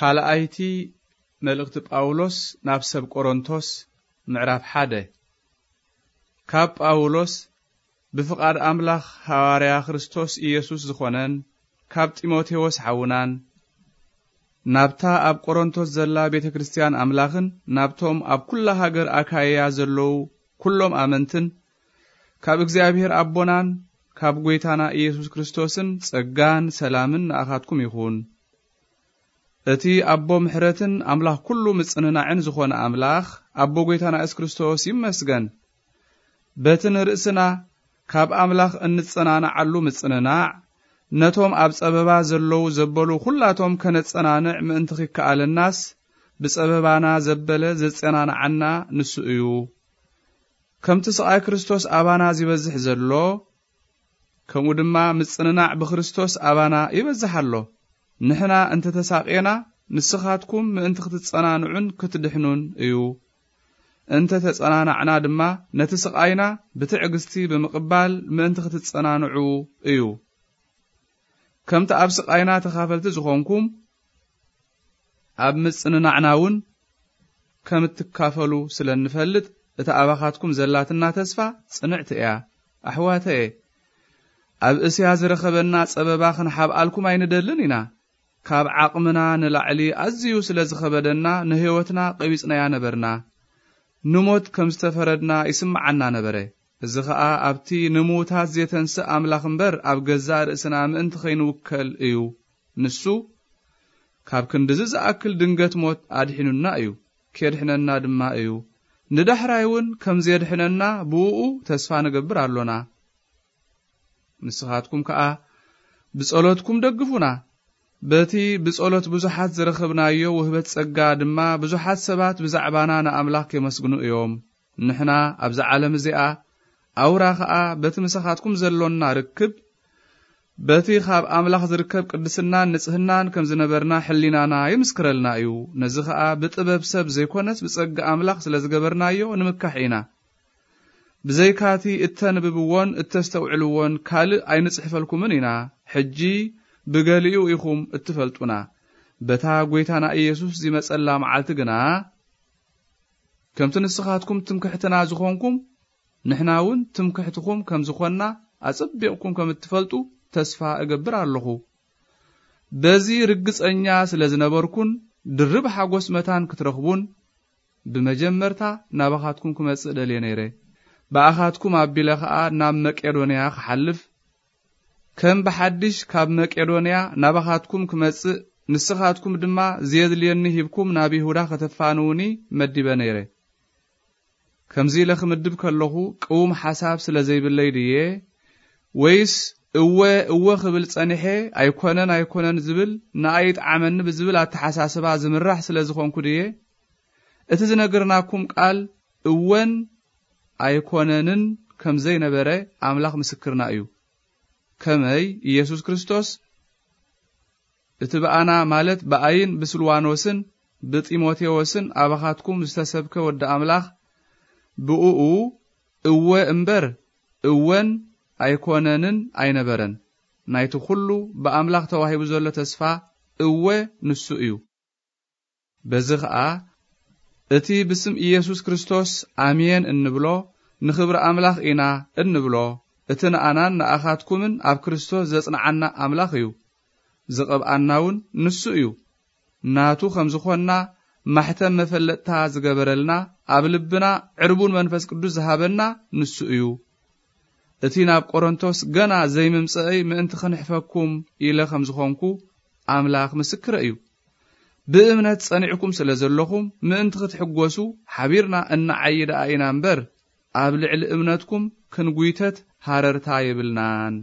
ካልኣይቲ መልእኽቲ ጳውሎስ ናብ ሰብ ቆሮንቶስ፣ ምዕራፍ ሓደ። ካብ ጳውሎስ፣ ብፍቓድ ኣምላኽ ሃዋርያ ክርስቶስ ኢየሱስ ዝኾነን፣ ካብ ጢሞቴዎስ ሓውናን፣ ናብታ ኣብ ቆሮንቶስ ዘላ ቤተ ክርስቲያን ኣምላኽን፣ ናብቶም ኣብ ኩላ ሃገር ኣካይያ ዘለዉ ኩሎም ኣመንትን፣ ካብ እግዚኣብሔር ኣቦናን ካብ ጐይታና ኢየሱስ ክርስቶስን ጸጋን ሰላምን ንኣኻትኩም ይኹን። እቲ ኣቦ ምሕረትን ኣምላኽ ኩሉ ምጽንናዕን ዝኾነ ኣምላኽ፣ ኣቦ ጐይታና የሱስ ክርስቶስ ይመስገን። በቲ ንርእስና ካብ ኣምላኽ እንጸናንዓሉ ምጽንናዕ፣ ነቶም ኣብ ጸበባ ዘለዉ ዘበሉ ኩላቶም ከነጸናንዕ ምእንቲ ኺከኣለናስ፣ ብጸበባና ዘበለ ዘጸናንዓና ንሱ እዩ። ከምቲ ስቓይ ክርስቶስ ኣባና ዚበዝሕ ዘሎ፣ ከምኡ ድማ ምጽንናዕ ብክርስቶስ ኣባና ይበዝሕ ኣሎ። ንሕና እንተ ተሳቕየና፣ ንስኻትኩም ምእንቲ ክትጸናንዑን ክትድሕኑን እዩ። እንተ ተጸናናዕና ድማ፣ ነቲ ስቓይና ብትዕግስቲ ብምቕባል ምእንቲ ክትጸናንዑ እዩ። ከምቲ ኣብ ስቓይና ተኻፈልቲ ዝኾንኩም፣ ኣብ ምጽንናዕና እውን ከም እትካፈሉ ስለ እንፈልጥ፣ እታ ኣባኻትኩም ዘላትና ተስፋ ጽንዕቲ እያ። ኣሕዋተየ፣ ኣብ እስያ ዝረኸበና ጸበባ ክንሓብኣልኩም ኣይንደልን ኢና። ካብ ዓቕምና ንላዕሊ ኣዝዩ ስለ ዝኸበደና፣ ንህይወትና ቀቢጽናያ ነበርና። ንሞት ከም ዝተፈረድና ይስምዓና ነበረ። እዚ ኸኣ ኣብቲ ንምዉታት ዜተንስእ ኣምላኽ እምበር፣ ኣብ ገዛእ ርእስና ምእንቲ ኸይንውከል እዩ። ንሱ ካብ ክንድዚ ዝኣክል ድንገት ሞት ኣድሒኑና እዩ፣ ኬድሕነና ድማ እዩ። ንዳሕራይ እውን ከም ዜድሕነና ብእኡ ተስፋ ንገብር ኣሎና። ንስኻትኩም ከኣ ብጸሎትኩም ደግፉና። በቲ ብጸሎት ብዙሓት ዝረኸብናዮ ውህበት ጸጋ ድማ፣ ብዙሓት ሰባት ብዛዕባና ንኣምላኽ የመስግኑ እዮም። ንሕና ኣብዛ ዓለም እዚኣ፣ ኣውራ ኸኣ በቲ ምሳኻትኩም ዘሎና ርክብ፣ በቲ ኻብ ኣምላኽ ዝርከብ ቅድስናን ንጽህናን ከም ዝነበርና፣ ሕሊናና ይምስክረልና እዩ። ነዚ ኸኣ ብጥበብ ሰብ ዘይኮነስ፣ ብጸጋ ኣምላኽ ስለ ዝገበርናዮ ንምካሕ ኢና። ብዘይካቲ እተንብብዎን እተስተውዕልዎን ካልእ ኣይንጽሕፈልኩምን ኢና። ሕጂ ብገሊኡ ኢኹም እትፈልጡና። በታ ጐይታና ኢየሱስ ዚመጸላ መዓልቲ ግና፣ ከምቲ ንስኻትኩም ትምክሕትና ዝኾንኩም፣ ንሕና እውን ትምክሕትኹም ከም ዝኾንና ኣጸቢቕኩም ከም እትፈልጡ ተስፋ እገብር ኣለኹ። በዚ ርግጸኛ ስለ ዝነበርኩን ድርብ ሓጎስ መታን ክትረኽቡን፣ ብመጀመርታ ናባኻትኩም ክመጽእ ደልየ ነይረ። ብኣኻትኩም ኣቢለ ኸኣ ናብ መቄዶንያ ክሓልፍ፣ ከም ብሓድሽ ካብ መቄዶንያ ናባኻትኩም ክመጽእ፣ ንስኻትኩም ድማ ዜድልየኒ ሂብኩም ናብ ይሁዳ ከተፋንዉኒ መዲበ ነይረ። ከምዚ ኢለ ክምድብ ከለኹ ቅዉም ሓሳብ ስለ ዘይብለይ ድየ? ወይስ እወ፣ እወ ክብል ጸኒሐ፣ ኣይኮነን፣ ኣይኮነን ዝብል ንኣይ ይጥዓመኒ ብዝብል ኣተሓሳስባ ዝምራሕ ስለ ዝኾንኩ ድየ? እቲ ዝነገርናኩም ቃል እወን ኣይኮነንን ከም ዘይነበረ ኣምላኽ ምስክርና እዩ። ከመይ ኢየሱስ ክርስቶስ እቲ ብኣና፣ ማለት ብኣይን ብስልዋኖስን ብጢሞቴዎስን ኣባኻትኩም ዝተሰብከ ወዲ ኣምላኽ፣ ብእኡ እወ እምበር እወን ኣይኮነንን ኣይነበረን። ናይቲ ኹሉ ብኣምላኽ ተዋሂቡ ዘሎ ተስፋ እወ ንሱ እዩ። በዚ ኸኣ እቲ ብስም ኢየሱስ ክርስቶስ ኣሜን እንብሎ፣ ንኽብሪ ኣምላኽ ኢና እንብሎ። እቲ ንኣናን ንኣኻትኩምን ኣብ ክርስቶስ ዘጽንዓና ኣምላኽ እዩ። ዝቐብኣና እውን ንሱ እዩ። ናቱ ከም ዝኾንና ማሕተም መፈለጥታ ዝገበረልና፣ ኣብ ልብና ዕርቡን መንፈስ ቅዱስ ዝሃበና ንሱ እዩ። እቲ ናብ ቆሮንቶስ ገና ዘይምምጸእይ ምእንቲ ክንሕፈኩም ኢለ ከም ዝኾንኩ ኣምላኽ ምስክረ እዩ። ብእምነት ጸኒዕኩም ስለ ዘለኹም፣ ምእንቲ ክትሕጎሱ ሓቢርና እንዓዪ ደኣ ኢና እምበር፣ ኣብ ልዕሊ እምነትኩም ክንጉይተት ሃረርታ የብልናን።